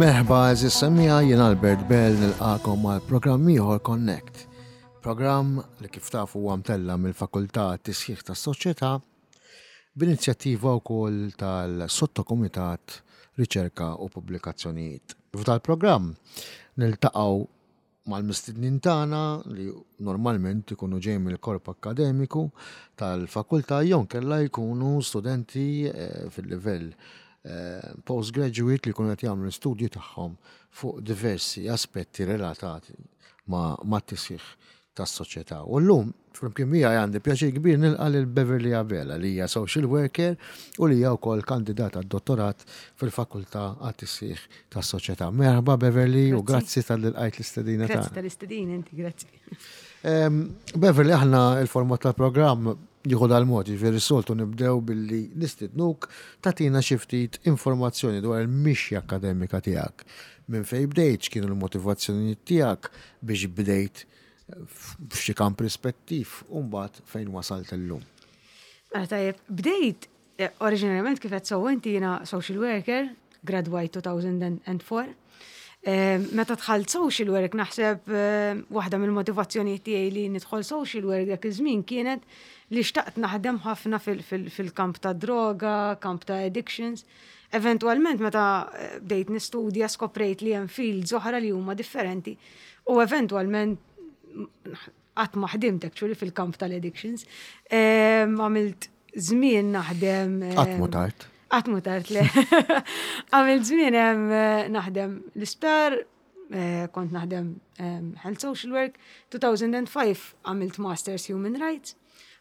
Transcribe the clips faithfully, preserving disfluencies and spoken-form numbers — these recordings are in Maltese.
Merħba, għeżież semmiegħa, jien Albert Bell nilqagħkom għal programm ieħor Connect. Programm li, kif tafu, huwa mtella mill-Fakultà Tisħiħ tas-Soċjetà b'inizjattiva wkoll tal-Sottokumitat Riċerka u Pubblikazzjonijiet. F'dal-programm niltaqgħu mal-mistednin tagħna li normalment ikunu ġej mill-korp akkademiku tal-fakultà jew inkella jkunu studenti eh, fil-livell eh, postgraduate li jkunu qed jagħmlu l-istudji tagħhom fuq diversi aspetti relatati ma' mat-tisħiħ tas-soċjetà. U llum, flimkien miegħi, għandi pjaċir kbir nilqa' lil Beverly Abela, li hija social worker u li hija wkoll kandidata għad-dottorat fil-Fakultà għat-Tisħiħ tas-Soċjetà. Merħba, Beverly, u grazzi talli lqajt l-istedina Grazzi tagħna. tal-istedina inti, grazzi. Em, Beverly, aħna il-format tal-programm jieħu dal-mod, jiġifieri soltu nibdew billi nistidnuk tagħtina xi ftit informazzjoni dwar il-mixja akkademika tiegħek. Minn fejn bdejt, x'kienu l-motivazzjonijiet tiegħek biex bdejt f'xi kamp rispettiv u mbagħad fejn wasalt illum. Mela tajjeb, bdejt eh, oriġinarjament, kif qed sewwa inti, jiena social worker, gradwajt elfejn u erbgħa. Eh, Meta dħalt social work, naħseb eh, waħda mill-motivazzjonijiet tiegħi li nidħol social work dak iż-żmien kienet li xtaqt naħdem ħafna fil- fil- fil-kamp ta' droga, kamp ta' addictions. Eventualment, meta eh, bdejt nistudja, skoprejt li hemm fields oħra li huma differenti u eventualment qatt ma ħdimt actually fil-kamp tal-addictions. Em, Għamilt żmien naħdem. Qatt mhu tard. Qatt mhu tard, le. Għamilt żmien em, naħdem l-isptar, eh, kont naħdem em, health social work. elfejn u ħamsa għamilt Masters Human Rights.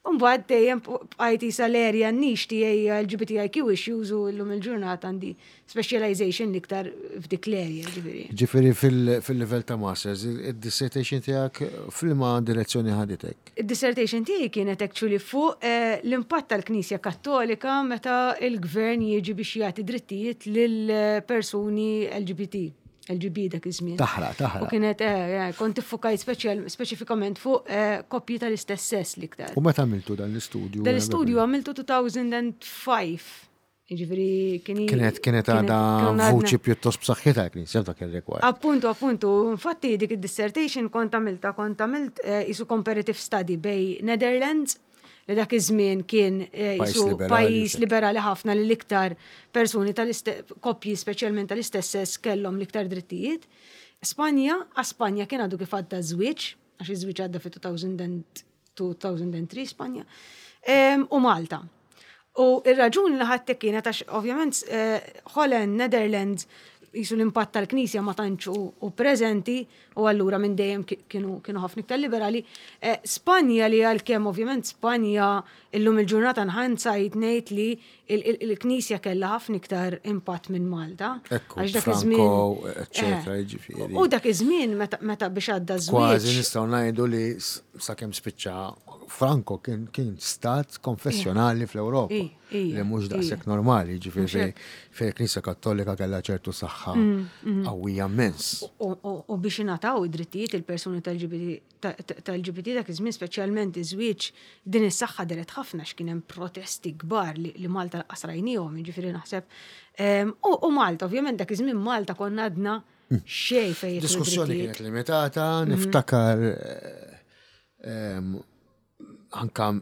Umbagħad dejjem bqajt issa l-area niche tiegħi L G B T I Q issues u llum il-ġurnata għandi specialization l-iktar f'dik l-area, ġifieri. Ġifieri fil- fil-livell ta' masters, il-dissertation tiegħek f'liema direzzjoni ħaditek? Id-dissertation tiegħi kienet actually fuq eh, l-impatt tal-Knisja Kattolika meta il-gvern jiġi biex jagħti drittijiet lil persuni L G B T. L G B dak iż-żmien. Taħraq, taħraq. U kienet, eh, eh, kont iffukajt speċjal speċifikament fuq eh, koppji tal-istess sess l-iktar. U meta għamiltu dan l-istudju? Dan l-istudju għamiltu elfejn u ħamsa. Jiġifieri kien Kienet kienet għadha kien għadna- vuċi pjuttost b'saħħitha l-Knisja f'dak ir-rigward. Appuntu, appuntu, infatti dik id-dissertation kont għamilta, kont għamilt eh, isu comparative study bejn Netherlands, li dak iż-żmien kien eh, pajjiż isu liberali, pajjiż xek. liberali ħafna, li l-iktar persuni tal-istess, koppji speċjalment tal-istess sess kellhom l-iktar drittijiet. Spanja, a Spanja kien għadu kif għadda żwieġ, għax iż-żwieġ għadda fi elfejn u tlieta Spanja, Em, u Malta. U ir-raġuni li ħadtek kienet għax ovvjament eh, Holland, Netherlands, jisu l-impatt tal-Knisja ma tantx u, u preżenti u allura minn dejjem ki- kienu kienu ħafna iktar liberali. Eh, Spanja, li għalkemm ovvjament Spanja illum il-ġurnata nħansajt ngħid li il- il- il-Knisja kellha ħafna iktar impatt minn Malta. Ekku, Għax dak Franco, iż-żmien- eccetera, Eh, jiġifieri. U dak iż-żmien meta meta biex għadda Kważi żwieġ. nistgħu ngħidu li s- sakemm spiċċa Franco kien kien stat konfessjonali fl-Ewropa. I, i, Li mhux i. daqshekk normali, ġifieri Mhux hekk. fejn il-Knisja Kattolika kellha ċertu saħħa Mm, mm. qawwija immens. U- U u biex ingħataw id-drittijiet il-persuni tal-L G B T dak iż-żmien, speċjalment iż-żwieġ, din is-saħħa deret ħafna x'kien hemm protesti kbar li, li Malta lanqas rajniehom, jiġifieri naħseb. Em, U u Malta, ovvjament dak iż-żmien Malta konna għadna xejn fejn jidħlu Diskussjoni drittijiet. kienet limitata, Mhm. niftakar eh, em, anka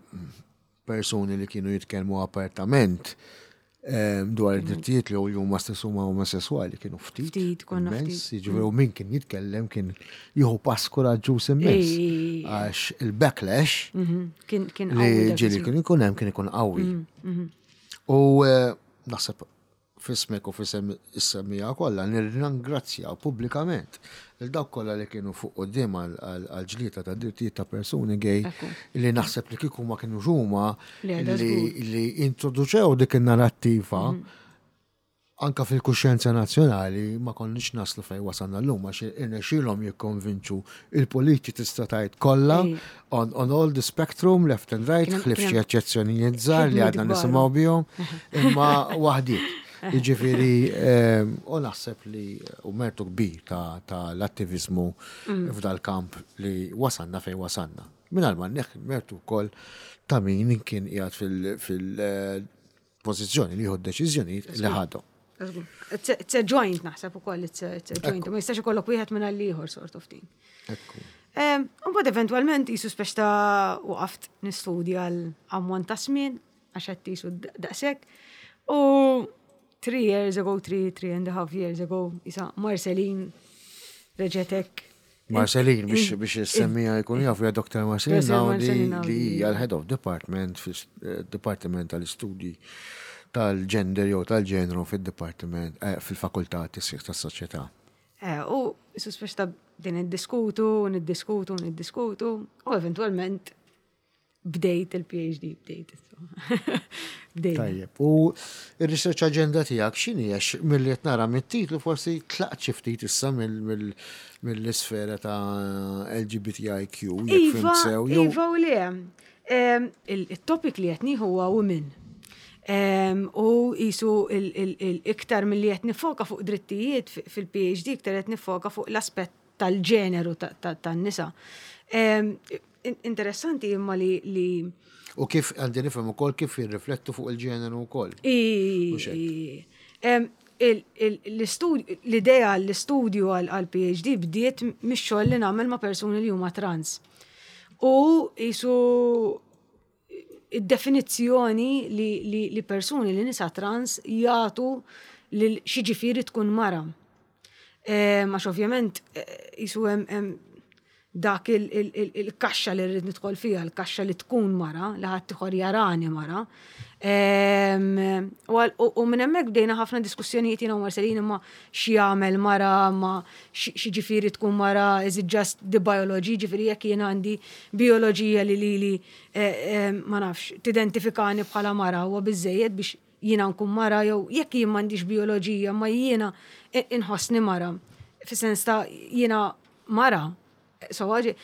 persuni li kienu jitkellmu apertament em, dwar id-drittijiet li huma stess huma omosessuali kienu ftit. Ftit, konna immens, ftit. Jiġifieri u min kien jitkellem kien jieħu pass kuraġġuż immens. Ej, ej, ej. Għax il-backlash Mhm, Kien kien li qawwi dak ġieli iż-żmien. kien ikun hemm kien ikun qawwi. Mhm, mhm. U eh, naħseb f'ismek u f'isem is-semmiegħa kollha nirringrazzjaw pubblikament lil dawk kollha li kienu fuq quddiem għal-ġlieda ta' drittijiet ta' persuni gay, Ekku. li naħseb li kieku ma kienu huma Le, da li, żgur. li introduċew dik in-narrattiva Mhm. anka fil-kuxjenza nazzjonali ma konniex naslu fejn wasalna llum, għax irnexxielhom jikkonvinċu il-politiċi, tista' tgħid, kollha Ej. on, on all the spectrum, left and right, Kien hemm- ħlief kien xi hemm eċċezzjonijiet żgħar li ħidmiet għadna kbar. nisimgħu bihom, imma waħdiet. Jiġifieri, ehm, u naħseb li u mertu kbir ta', ta l-attivizmu Mm. f'dal kamp li wasanna fejn wasanna. Mingħajr ma neħ mertu wkoll ta' min kien qiegħed fil-pożizzjoni li jieħu deċiżjonijiet li ħadhom. Żgur. It's a- It's a joint naħseb ukoll, it's a, it's a joint. Ma jistax ikollok wieħed minn għall-ieħor sort of thing. Ekku. Mbagħad eventwalment jisu speċ ta' waqaft nistudja l-ammont ta' żmien għax qed jisu daqshekk. U three years ago, three, three and a half years ago, isa Marceline reġetek. Marceline, biex biex semmija jkun jafu ja Dr. Marceline Dr. Naudi Marceline Naudi. li hija l-Head of Department fil-Departiment tal-Istudji tal-Gender jew tal-ġenru fil-Departiment eh, fil-Fakultà Tisħiħ tas-Soċjetà. Eh, U jisu speċ ta' din niddiskutu, niddiskutu, niddiskutu, u eventualment bdejt il-PhD, bdejt. Bdejt. Tajjeb, u il-research agenda tiegħek x'inhi għax milli qed nara mit-titlu forsi tlaqt xi ftit issa mill- mill- mill-isfera ta' LGBTIQ jekk Iva, fhimt sew jew Iva u le. Em, il- Il-topic li qed nieħu huwa women. Em, U jisu il-iktar mill-li qed nifoka fuq drittijiet fi- fil-PhD, iktar qed nifoka fuq l-aspett tal-ġeneru ta- ta- tan-nisa. Em, in- Interessanti imma li li u kif għandi nifhem ukoll kif jirriflettu fuq il-ġeneru wkoll. I- Mhux hekk. i- em, il- il- l-istudju- L-idea l-istudju għal-PhD bdiet mix-xogħol li nagħmel ma' persuni li huma trans. U jisu id-definizzjoni li, li, li persuni li nisa trans jagħtu lil x'jiġifieri tkun mara. Eh, Għax ovvjament eh, jisu hemm hemm dak il- il- il- il-kaxxa li rrid nidħol fiha, il-kaxxa li tkun mara, li ħadd ieħor jarani mara. Em, U għal- u u minn hemmhekk bdejna ħafna diskussjonijiet jiena u Marcelin imma x'jagħmel mara, ma xi ġifieri tkun mara, is it just the biology, ġifieri jekk jiena għandi bioloġija li li li eh, eh, ma nafx, tidentifikani bħala mara huwa biżejjed biex jiena nkun mara jew jekk jien m'għandix bioloġija ma jiena inħossni mara. Fis-sens ta' jiena mara. So, għaġi.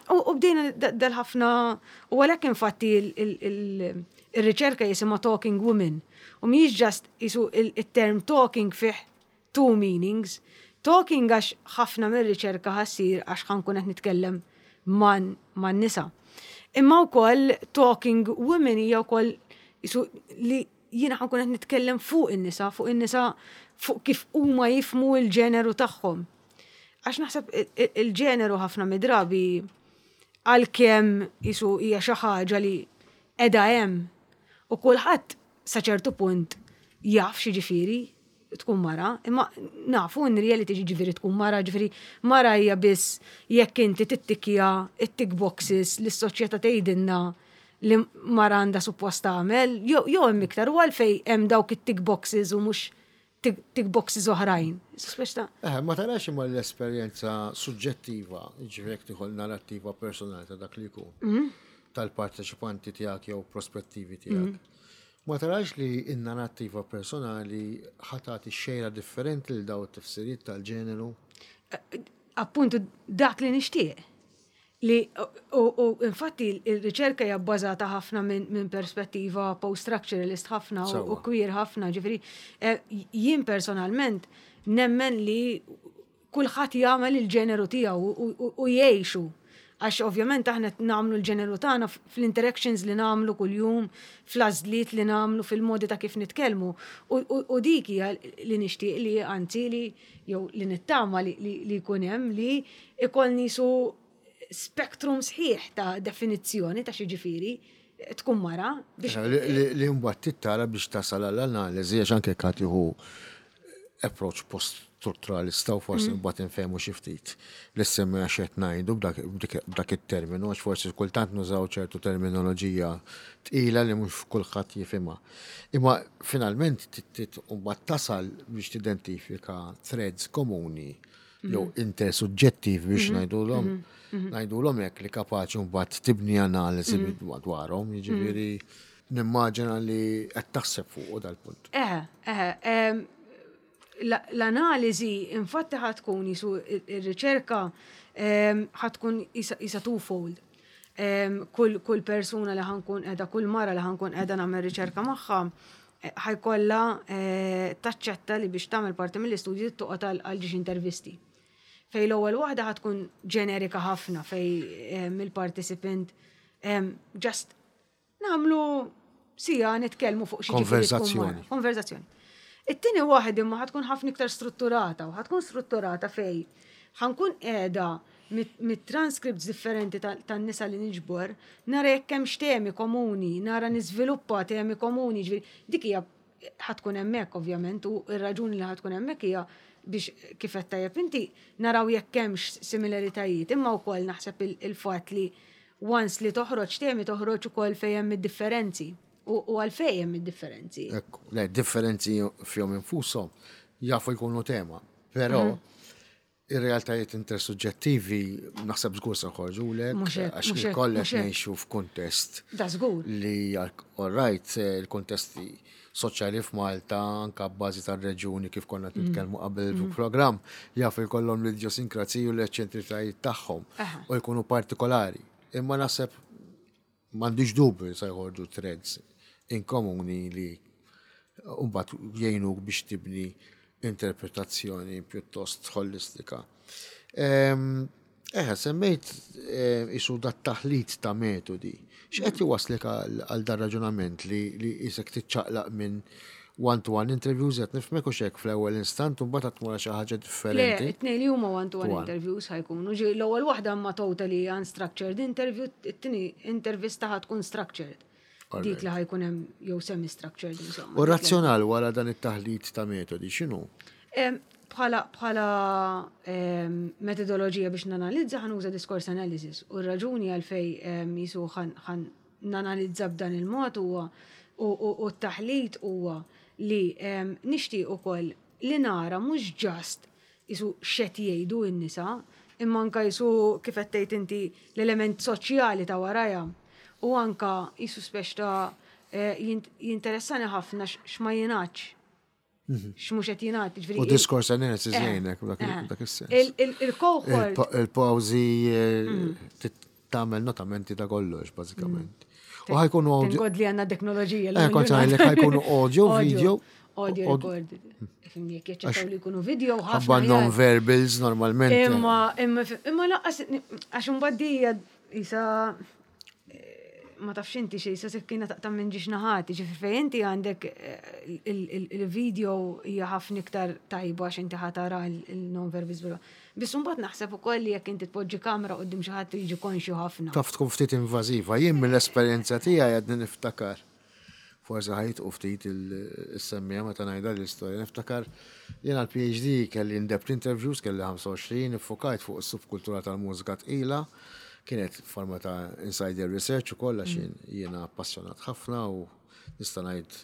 U u bdejna da- dal-ħafna, u għalhekk infatti il- il- il- il-riċerka jisimha Talking Women. U mhijiex just jisu il-term talking fih two meanings. Talking għax ħafna mir-riċerka ħa ssir għax ħa nkun qed nitkellem man man nisa. Imma wkoll talking women hija wkoll jisu li jiena ħa nkun qed nitkellem fuq in-nisa, fuq in-nisa fuq kif huma jifhmu l-ġeneru tagħhom. Għax naħseb il- il- il-ġeneru ħafna mid-drabi għalkemm jisu hija xi ħaġa li qiegħda hemm u kulħadd sa ċertu punt jaf xi ġifieri tkun mara, imma nafu in reality ġifieri tkun mara, ġifieri mara hija biss jekk inti tittikja it-tick boxes li s-soċjetà tgħidilna li mara għandha suppost tagħmel, jew jew hemm iktar u għalfej hemm dawk it-tick boxes u mhux tick tick boxes oħrajn. Speċta. Eh, ma tarax imma l-esperjenza suġġettiva, ġifieri jekk tieħu narrattiva personali ta' dak li jkun, Mhm. tal-parteċipanti tiegħek jew prospettivi tiegħek. Ma tarax li n-narrattiva personali ħa tagħti xejra differenti lil daw it-tifsiriet tal-ġeneru? appuntu dak li nixtieq. Li, u, u infatti il-riċerka hija bbażata ħafna minn min perspettiva post-structuralist ħafna u, u Sewwa. queer ħafna, ġifieri eh, jien personalment nemmen li kulħadd jagħmel il-ġeneru tiegħu u, u, u jgħixu. Għax ovvjament aħna nagħmlu l-ġeneru tagħna fl-interactions li nagħmlu kuljum, fl-għażliet li nagħmlu, fil-modi ta' kif nitkellmu. U, u, u dik hija li nixtieq li anzi li jew li nittama li, li, li jkun hemm li ikollni su spektrum sħiħ ta' definizzjoni ta' xi ġifieri tkun mara biex Li- Li li mbagħad tittara biex tasal għall-analiżi għax anke qed tieħu approach post-strutturalista u forsi mbagħad infehmu xi ftit li semmi għax qed ngħidu b'dak b'dik- b'dak it-terminu għax forsi kultant nużaw ċertu terminoloġija tqila li mhux kulħadd jifhimha. Imma finalment tit mbagħad tasal biex tidentifika threads komuni jew intersuġġettivi biex ngħidulhom ngħidulhom hekk li kapaċi mbagħad tibni analiżi dwarhom, jiġifieri nimmaġina li qed taħseb fuq dal-punt. Eh, eh, em, la- l-analiżi infatti ħa tkun jisu il-riċerka em, ħa tkun isa isa twofold. Em, Kull kull persuna li ħa nkun qiegħda, kull mara li ħa nkun qiegħda nagħmel riċerka magħha, eh, ħa jkollha eh, taċċetta li biex tagħmel parti mill-istudju toqgħod għal għal ġiex intervisti. Fej l-ewwel waħda ħa tkun ġenerika ħafna fej em, il-participant em, just nagħmlu sija nitkellmu fuq xi ġifieri tkun mara. Konverzazzjoni. Konverzazzjoni. It-tieni waħda imma ħa tkun ħafna iktar strutturata u ħa tkun strutturata fej ħa nkun qiegħda mit-transcripts differenti tan-nisa li niġbor, nara jekk hemm temi komuni, nara niżviluppa temi komuni, ġifieri dik hija ħa tkun hemmhekk ovvjament u r-raġuni li ħa tkun hemmhekk hija biex, kif qed tajjeb inti, naraw jekk hemmx similaritajiet, imma wkoll naħseb il-fatt li once li toħroġ temi, toħroġ ukoll fejn hemm id-differenzi u għalfejn hemm id-differenzi. Ekku, le, differenzi fihom infushom jafu jkunu tema, però mhm. ir-realtajiet intersuġġettivi naħseb żgur se lek, għax kollek ngħixu f'kuntest. Da żgur. Li, all right, il-kuntesti soċjali f'Malta, anka bbażi tar-reġuni, kif konna mm. nitkellmu qabel mm. il-programm, jafu jkollhom l-idjosinkrasiji u l-eċċentritajiet tagħhom u jkunu partikolari. Imma naħseb, m'għandix dubju, se jħorġu threads in komuni li mbagħad jgħinuk biex tibni interpretazzjoni pjuttost holistika. Eħe, semmejt isu dat taħlit ta' metodi. X'qed jwaslek għal dar raġunament li li isek tiċċaqlaq minn one-to-one interviews, qed nifhmek u xek, fl-ewwel instant u mbagħad tmur xi ħaġa differenti? Le, it-tnejn li huma one-to-one interviews ħa jkunu. Ġi l-ewwel waħda ma totally unstructured interview, it-tieni intervista ħa tkun structured. Dik li ħa jkun hemm, jew semi-structured insomma. U razzjonal wara dan it-taħlit ta' metodi x'inhu? Bħala bħala metodoloġija biex nanalizza ħa nuża discourse analysis u r-raġuni għalfej jisu ħa nanalizza b'dan il-mod huwa u t-taħlit huwa li nixtieq ukoll li nara mhux just jisu x'qed jgħidu n-nisa, imma anka jisu, kif qed tgħid inti, l-element soċjali ta' warajha u anka jisu speċ ta' eh, jinteressani ħafna x'ma jingħadx. Mhm. X'mhux qed jingħad. U discourse analysis eh, jgħinek eh. dak is-sens. Il-cohort. Il-pawżi mhm. tagħmel notamenti ta' kollox bażikament. Mhm. U ħa jkunu audio. God li għandna teknoloġija. Eh, kont ngħidlek, ħa jkunu audio, video. Audio recorded. Fimni, jekk jaċċettaw li jkunu video. Ħabba non-verbals normalment. Imma, imma, imma lanqas, għax imbagħad jisa ma tafx inti xej, sa sikkina taqta' minn żewġ naħat, ġifieri fejn inti għandek eh, il-video hija ħafna iktar tajba għax inti ħa tara il-non-verbals. Biss mbagħad naħseb ukoll li jekk inti tpoġġi kamera quddiem xi ħadd jiġi konxju ħafna. Taf tkun ftit invażiva. Jien mill-esperjenza tiegħi għadni niftakar. Forsi ħajt u ftit il-semmija meta ngħidha l-istorja. Niftakar jiena l-P H D kelli in-depth interviews, kelli ħamsa u għoxrin, iffokajt fuq is-subkultura tal-mużika tqila. Kienet forma ta' insider research u kollha xin jiena appassjonat ħafna u nista' ngħid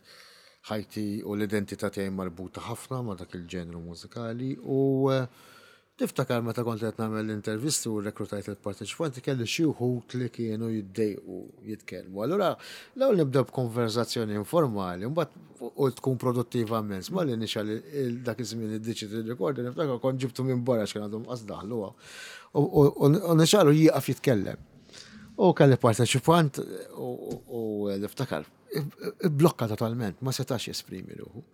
ħajti u l-identità tiegħi marbuta ħafna ma' dak il-ġenru mużikali. U eh, niftakar meta kont qed nagħmel l-intervisti u rekrutajt il-parteċipanti, kelli xi wħud li kienu jiddejqu jitkellmu. Allura l-ewwel nibda b'konversazzjoni informali, mbagħad u tkun produttiva immens. Ma li nixgħel dak iż-żmien id-digital recorder, niftakar kont ġibtu minn barra x'kien għadhom qas daħlu. U nixgħelu, jieqaf jitkellem. U kelli parteċipant u niftakar blokka totalment, ma setax jesprimi ruħu.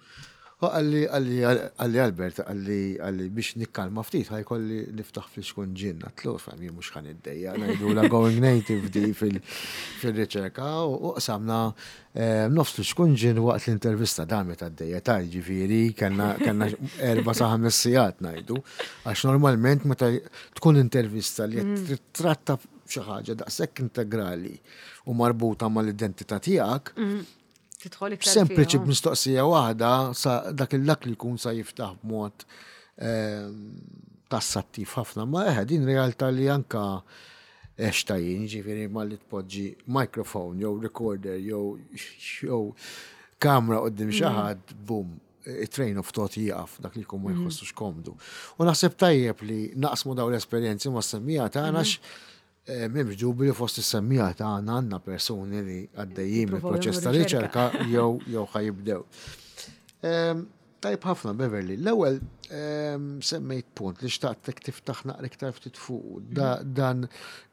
U qalli, qalli, qalli, "Albert," qalli, qalli "biex nikkalma ftit, ħa jkolli niftaħ flixkun ġin." Għedtlu, "Fam, jien mhux ħa niddejjaq, ngħidu la going native di fil-riċerka." U qsamna eh, nofs flixkun ġin waqt l-intervista, damet għaddejja ta' ġifieri, kellna erba' sa ħames sigħat ngħidu, għax normalment meta tkun intervista li mm. tratta xi ħaġa daqshekk integrali u marbuta mal-identità tiegħek, mm. Tidħol iktar. Sempliċi b'mistoqsija waħda sa dak il-dak li jkun sa jiftaħ b'mod ehm, tassattiv ħafna. Ma eħe, din realtà li anka eċtajin, ġifieri ma li tpoġġi microphone jew recorder jew jew kamra quddiem xi mm. ħadd, boom, it-train of thought jieqaf, dak li jkun ma mm. jħossux komdu. U naħseb tajjeb li naqsmu daw l-esperjenzi ma' semmiegħa tagħna. mm. Eh, m'hemmx dubju li fost is-semmiegħa tagħna għandna persuni li għaddejjin mill-proċess ta' riċerka jew jew ħa jibdew. Tajb ħafna, Beverly. L-ewwel semmejt punt li xtaqtek tiftaħ naqra iktar ftit fuq dan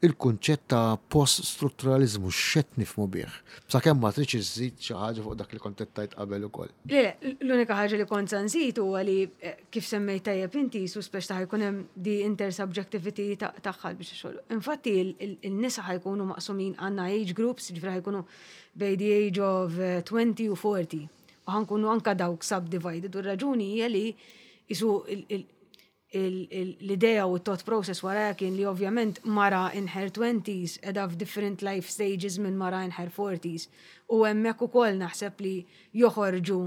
il-kunċett ta' post-strutturalizmu, x'qed nifhmu bih. Sakemm ma tridx iżżid xi ħaġa fuq dak li kont tajt qabel ukoll. Le, l-unika ħaġa li kont nżid huwa li eh, kif semmejt tajjeb inti, su speċ ta' jkun hemm di intersubjectivity tagħha biex xogħol. Infatti il-nisa ħa jkunu maqsumin, għandna age groups, ġifieri ħa jkunu bejn the age of twenty u forty. U ħa nkunu anka dawk subdivided, u r-raġuni hija li qisu l-idea u t-thought process wara kien li ovvjament mara in her twenties qiegħda f'different life stages minn mara in her forties. U hemmhekk ukoll naħseb li joħorġu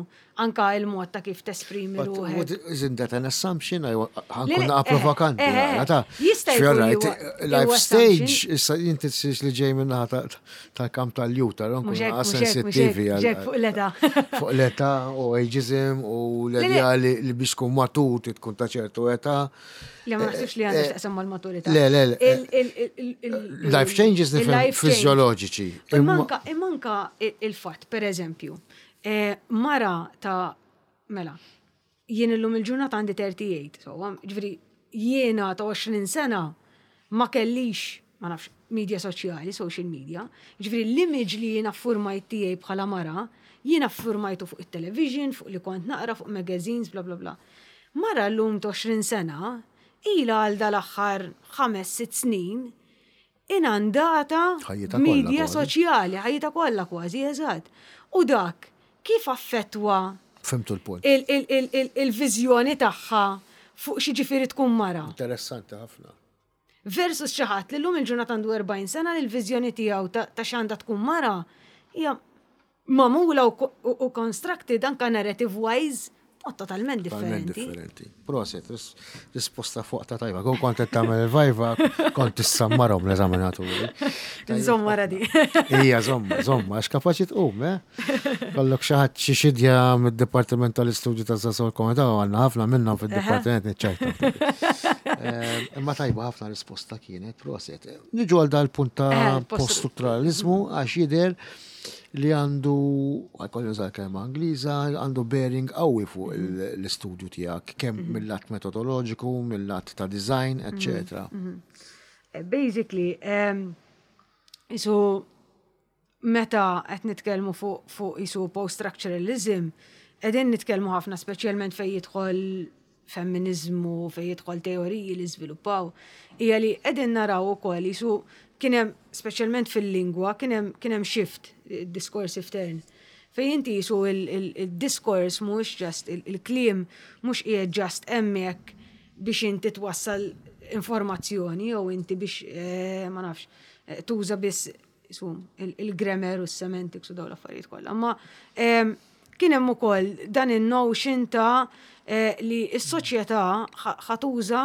anka il-mod ta' kif tesprimi ruħek. Isn't that an assumption? Ħa nkun provokanti. Jista' jkun. Life stage, issa inti li ġej minna tal-kamp tal-juta, nkun sensittivi. Fuq l-età. Fuq l-età u ageism u l-idea li biex tkun matur tkun ta' ċertu età. Li ma naħsibx li għandha x'taqsam mal-maturità. Le, le, le. Life changes nifhem fiżjoloġiċi. Imma anka il-fatt, per eżempju, eh, mara ta' mela, jien illum il-ġurnata għandi tlieta u tletin, so, ġifieri jiena ta' għoxrin sena ma kellix, ma nafx, media soċjali, social media, ġifieri l-image li jiena formajt tiegħi bħala mara, jiena formajtu fuq il-television, fuq li kont naqra, fuq magazines, bla bla bla. Mara l-lum ta' għoxrin sena, ila għal dal-aħħar ħames, sitt snin, inundata media soċjali, ħajjitha kollha kważi, eżatt. U dak, kif affettwa Fhimtu l-punt. il-viżjoni tagħha fuq x'jiġifieri tkun mara? Interessanti ħafna. Versus xi ħadd li llum il-ġurnata għandu erbgħin sena li l-viżjoni tiegħu ta' x'għandha tkun mara hija magħmula u constructed anka narrative wise totalment differenti. Differenti. Prosit, risposta fuq ta' tajba. Kon kont tagħmel il-viva, kont tissammarhom l-eżaminaturi. Żomma radi. Ija, żomma, żomma, għax kapaċi tqum, eh? Kollok xi ħadd xi xidja mid-Dipartiment tal-Istudju ta' Żgħażagħ Komunità, għandna ħafna minnhom fid-dipartiment, niċċajta. Eh, imma tajba ħafna risposta kienet, prosit. Niġu għal dal-punt ta' eh, post-strutturalizmu, għax jidher li għandu, ħa jkolli nuża kelma Ingliża, għandu bearing qawwi fuq l-istudju tiegħek, kemm mhm. mill-lat metodoloġiku, mill-lat ta' design, eccetera. Mhm, mhm. Basically, qisu meta qed nitkellmu fuq fu qisu post-structuralism, qegħdin nitkellmu ħafna, speċjalment fejn jidħol femminizmu, fejn jidħol teoriji li żviluppaw, hija li qegħdin naraw ukoll qisu kien hemm, speċjalment fil-lingwa, kien hemm kien hemm shift, discursive turn. Fejn inti qisu il-diskors mhux just il-kliem, mhux qiegħed just hemmhekk biex inti twassal informazzjoni jew inti biex eh, ma nafx eh, tuża biss qisu il-grammar u s-semantics u dawn l-affarijiet kollha. Ma kien hemm ukoll dan in-notion ta' eh, li s-soċjetà ħa tuża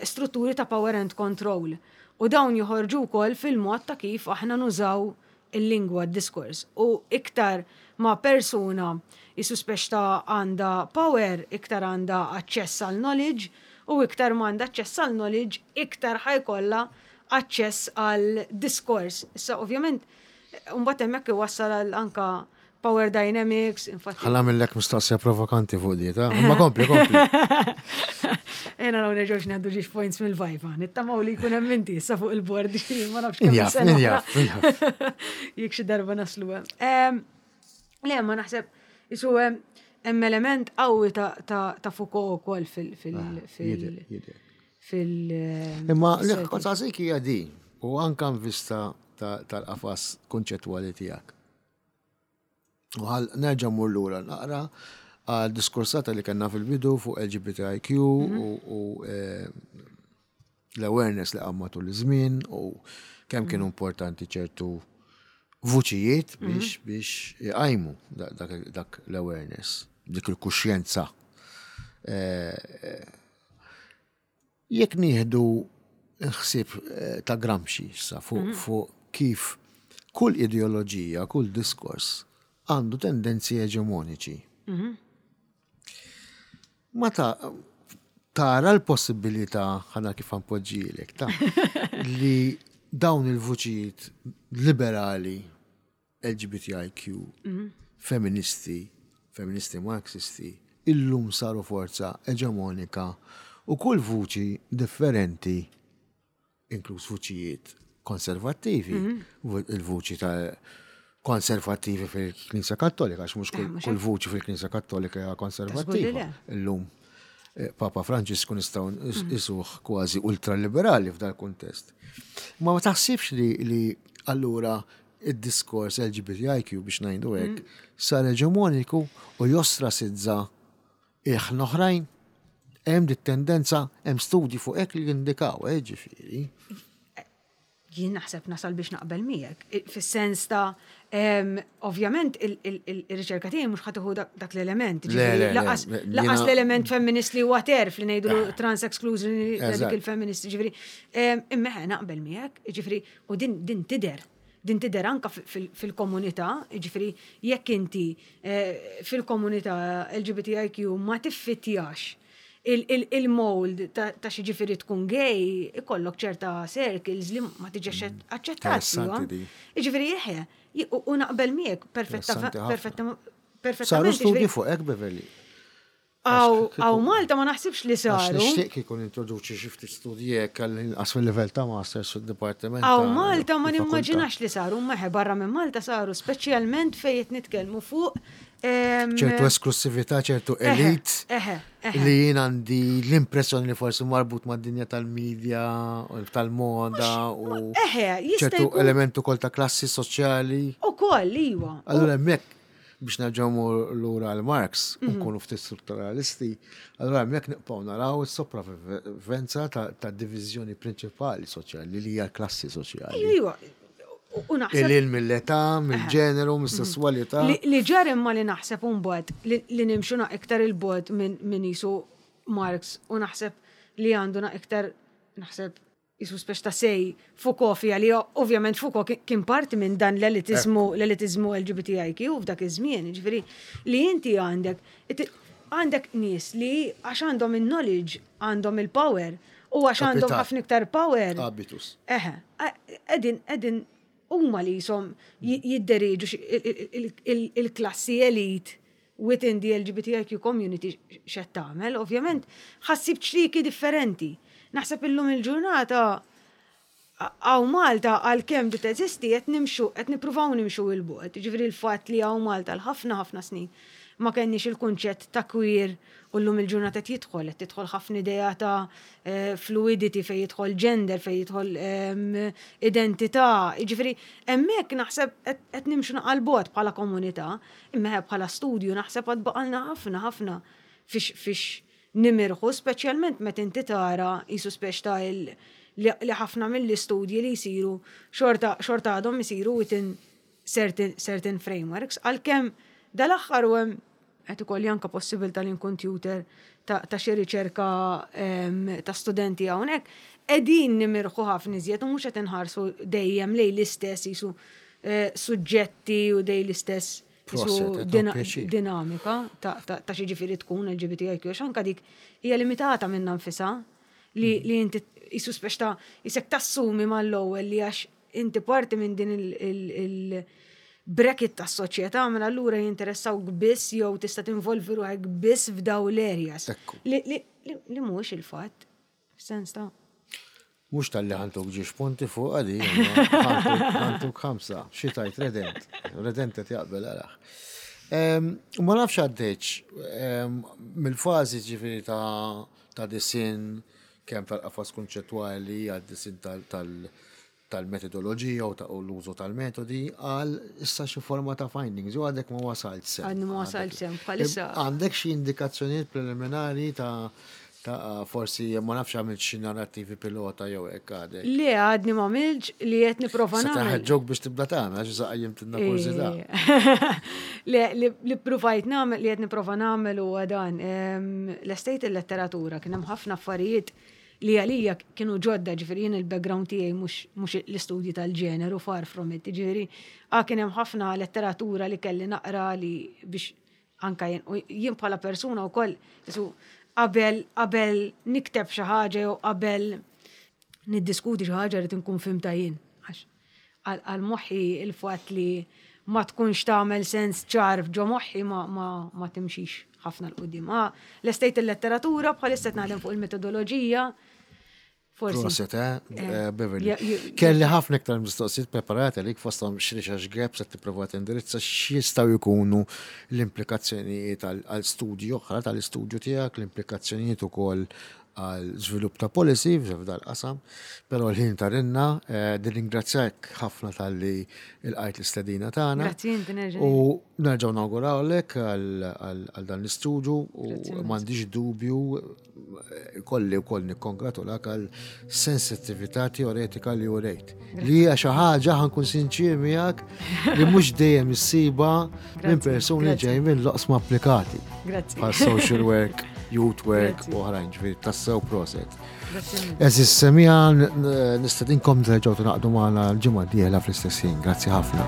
strutturi ta' power and control. U dawn joħorġu wkoll fil-mod ta' kif aħna nużaw il-lingwa, d-diskors. U iktar ma persuna jissuspetta għandha power, iktar għandha aċċess għal knowledge, u iktar ma għandha aċċess għal knowledge, iktar ħa jkollha aċċess għal diskors. Issa, ovvjament, mbagħad hemmhekk iwassal għal anka power dynamics, infatti. Ħa nagħmillek mistoqsija provokanti fuq di, ta' ma kompli, kompli. Ejja naraw nerġgħux ngħaddu ġiex points mill-viva. Nittamaw li jkun hemm inti issa fuq il-board, ma nafx kemm sena. Jekk xi darba naslu hemm. Le, ma naħseb qisu hemm element qawwi ta' Foucault ukoll fil- fil- fil- fil Imma li kont hija di, u anka vista tal-qafas konċettwali tiegħek. U ħa nerġa' mmur lura naqra għal diskursata li kellna fil-bidu fuq L G B T I Q u eh, l-awareness li qam matul iż-żmien u kemm kienu importanti ċertu vuċijiet biex biex jqajmu dak l-awareness, dik il-kuxjenza. Eh, eh, jekk nieħdu ħsieb ta' Gramsci issa fuq kif kull ideoloġija, kull diskors għandu tendenzi eġemoniċi. Ma ta' tara l-possibilità, ħana kif npoġġihielek, ta' li dawn il-vuċijiet liberali, L G B T I Q, feministi, feministi marxisti, illum saru forza eġemonika u kull vuċi differenti, inkluż vuċijiet konservattivi, il-vuċi ta' konservattivi fil-Knisja Kattolika, għax mhux kull vuċi fil-Knisja Kattolika hija konservattiva. Illum eh, Papa Franġisku nistgħu nqisuh kważi ultraliberali f'dal kuntest. Ma ma taħsibx li, li allura id-diskors L G B T I Q, biex ngħidu hekk, sar eġemoniku u jostrasizza ilħna oħrajn. Hemm dit tendenza, hemm studji fuq hekk li jindikaw, eh, ġifieri. Jien naħseb nasal biex naqbel miegħek. I- Fis-sens ta' em, ovvjament il- il- il- ir-riċerka tiegħi mhux ħa tieħu dak dak l-element. Le, Ġifieri, le, le, Lanqas le, lanqas jiena- l-element femminist li huwa terf li ngħidu trans exclusion Eżatt. dik il-feminist, ġifieri. em, Imma ħe naqbel miegħek, ġifieri, u din din tidher. Din tidher anka fil- fil-komunità, ġifieri, jekk inti eh, fil-komunità L G B T I Q ma tiffittjax il-mold ta' ta' xi ġifieri tkun gay, ikollok ċerta circles li ma tiġex aċċettat. Interessanti di. Ġifieri jeħe, u u naqbel miegħek perfetta Interessanti ħafna. perfetta Saru perfettament. studji Ġifieri, fuq hekk, Beverly? Għaw Għax għaw Malta ma naħsibx li Għax saru. nixtieq kieku nintroduċi xi ftit studji hekk għall-inqas fil-livell ta' masters fid-dipartiment. Għaw ta' Malta ma il-fakultà. nimmaġinax li saru, maħe barra minn Malta saru, speċjalment fejn qed nitkellmu fuq em, ċertu esklusività, ċertu eħe, elit Eħe, eħe. li jien għandi l-impressjoni li forsi marbut mad-dinja tal-medja, u tal-moda u Eħe, jista' ċertu jkun elementu kol ta' klassi soċjali. Ukoll, iwa. Allura hemmhekk biex nerġgħu lura għal Marx Mhm. u nkunu ftit strutturalisti, allura hemmhekk nibqgħu naraw is-sopravvivenza ta' ta' diviżjoni prinċipali soċjali li hija l-klassi soċjali. Iwa, iwa. U- U naħseb Il mill-età, mill-ġeneru, mis-sessualità. Li, li ġar imma li naħseb mbagħad li, li nimxu na iktar il-bogħod minn min jisu Marx u naħseb li għandu na iktar naħseb jisu speċ ta' sej Foucault fija li ovvjament Foucault kien- kien parti minn dan l-elitizmu l-elitizmu L G B T I Q f'dak iż-żmien, ġifieri li inti għandek it- għandek nies li għax għandhom il-knowledge, għandhom il-power u għax għandhom Kapital. ħafna iktar power. Habitus. Eħe, edin, edin, huma li jisom jidderiġu xi- il- il- il- il-klassi elite within the L G B T I Q community x'qed tagħmel, ovvjament ħassib ċriki differenti. Naħseb illum il-ġurnata għaw Malta għalkemm di teżisti qed nimxu, qed nippruvaw nimxu il-bogħod. Ġifieri l-fatt li għaw Malta l-ħafna ħafna snin ma kenniex il-kunċett ta' queer u llum il-ġurnata qed jidħol, qed tidħol ħafna idea ta' eh, fluidity fejn jidħol gender, fejn jidħol em, identità. Ġifieri hemmhekk naħseb qed qed nimxu naqal bogħod bħala komunità, imma bħala studju naħseb għad baqalna ħafna ħafna fiex fiex nimirħu, speċjalment meta inti tara jisu speċ ta' il, li li ħafna mill-istudji li jisiru xorta xorta għadhom isiru within certain, certain frameworks, għalkemm dal-aħħar u hemm qed ikolli anke possibilità li nkun tutor ta' ta' xi riċerka em, ta' studenti hawnhekk, qegħdin nimirħu ħafna iżjed u mhux qed inħarsu dejjem lejn l-istess jisu eh, suġġetti u dej l-istess jisu Proset, qed dina- pjaċir. dinamika ta' ta' ta' xi ġifieri tkun L G B T I Q, għax anka dik hija limitata minnha nfisha li li inti jisu speċ ta' jisek tassumi mal-ewwel li għax inti parti minn din il- il- il- bracket ta' soċjetà, mela allura jinteressawk biss jew tista' tinvolvi ruħek biss f'daw l-areas. Ekku. Li, li, li, li mhux il-fatt. Sens ta' Mux tal-li ħa ntuk ġiex punti fuq għadi, ħa ntuk ħamsa, xi tajt redent, redent qed jaqbel għalaħ. Ma nafx għaddejx, mill-fazi ġifiri ta' ta' disin, kemm tal-qafas konċettwali, għad-disin tal- tal-metodoloġija u ta' u l-użu tal-metodi, għal issa xi forma ta' findings, u għadek ma wasalt s'hemm. Għadni ma wasalt s'hemm, bħalissa. Għandek xi indikazzjonijiet preliminari ta' ta' forsi ma nafx għamilt xi narrativi pilota jew hekk għadek? Li għadni ma għamilx, li qed nipprova Sa nagħmel. taħġok biex tibda tagħmel għax issa qajjimtilna kurżità. Le, li li provajt nagħmel, li qed nipprova nagħmel huwa dan. em, L-estate il-letteratura kien hemm ħafna affarijiet li għalija kienu ġodda, ġifieri jien il-background tiegħi mhux mhux l-istudji tal-ġeneru, far from it, ġifieri ah, kien hemm ħafna letteratura li kelli naqra li biex anka jien u jien bħala persuna wkoll jisu qabel qabel nikteb xi ħaġa jew qabel niddiskuti xi ħaġa rrid inkun fhimtha jien. Għax għal għal moħħi il-fatt li ma tkunx tagħmel sens ċar ġo moħħi ma, ma, ma timxix ħafna 'l quddiem. Ah, l-estate il-letteratura bħalissa qed naħdem fuq il-metodoloġija. Forsi. Proset, eh, Eh, Beverly. ja- ju- Kelli ħafna iktar mistoqsijiet preparati għalik, fosthom x'research gaps qed tipprova tindirizza, x'jistgħu jkunu l-implikazzjonijiet għal studju oħra tal-istudju tiegħek, l-implikazzjonijiet ukoll Għal żvilupp ta' policy f'dal qasam, però l-ħin tarinna, eh, nirringrazzjak ħafna talli lqajt l-istedina tagħna. Grazzi inti nerġa'. U nerġgħu nawgurawlek għal dan l-istudju u m'għandix dubju eh, kolli wkoll nikkongratulak għal sensittività teoretika li urejt. Li hija xi ħaġa, ħa nkun sinċier miegħek, li mhux dejjem issiba minn persuni ġej minn loqsma applikati. Grazzi. Bħal social work, youth work u oħrajn, ġifieri tassew proset. Għeżież semmiegħa, nistedinkom terġgħu tingħaqdu magħna l-ġimgħa d-dieħla fl-istess ħin. Grazzi ħafna.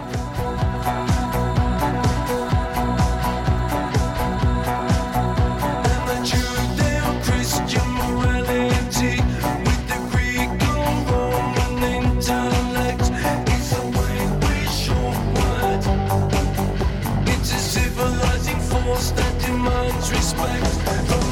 And the Judeo-Christian morality with the Greco-Roman intellect is a way we shortward. It's a civilizing force that demands respect.